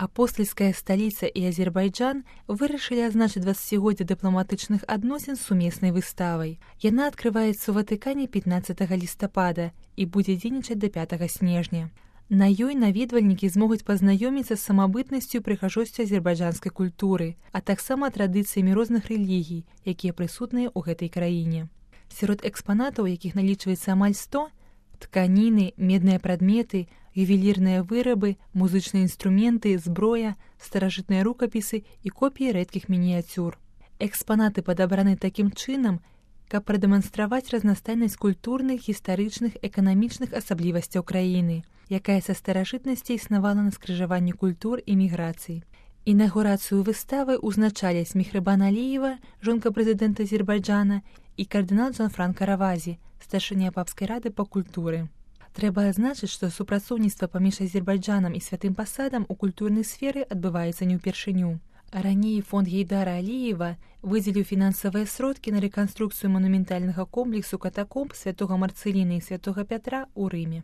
Апостальская сталіца і Азербайджан вырашылі азначыць 20-годдзе дыпламатычных адносін сумеснай выставай. Яна адкрываецца ў Ватыкане 15 лістапада і будзе дзейнічаць да 5 снежня. На ёй наведвальнікі змогуць пазнаёміцца з самабытнасцю і прыгажосцю азербайджанскай культуры, а таксама традыцыямі розных рэлігій, якія прысутныя ў гэтай краіне. Сярод экспанатаў, якіх налічваецца амаль 100, тканіны, медныя прадметы, ювелірныя вырабы, музычныя інструменты, зброя, старажытныя рукапісы і копіі рэдкіх мініяцюр. Экспанаты падабраны такім чынам, каб прадэманстраваць разнастайнасць культурных, гістарычных, эканамічных асаблівасцяў краіны, якая са старажытнасці існавала на скрыжаванні культур і міграцый. Інаўгурацыю выставы ўзначаляць Мехрибан Алиева, жонка прэзідэнта Азербайджана, і кардынал Джанфранка Равазі, старшыня папскай рады па культуры. Трэба адзначыць, што супрацоўніцтва паміж Азербайджанам і Святым Пасадам у культурнай сферы адбываецца не ўпершыню. Раней фонд Гейдара Алиева выдзеліў фінансавыя сродкі на рэканструкцыю манументальнага комплексу катакомб святога Марцэліна і святога Пятра ў Рыме.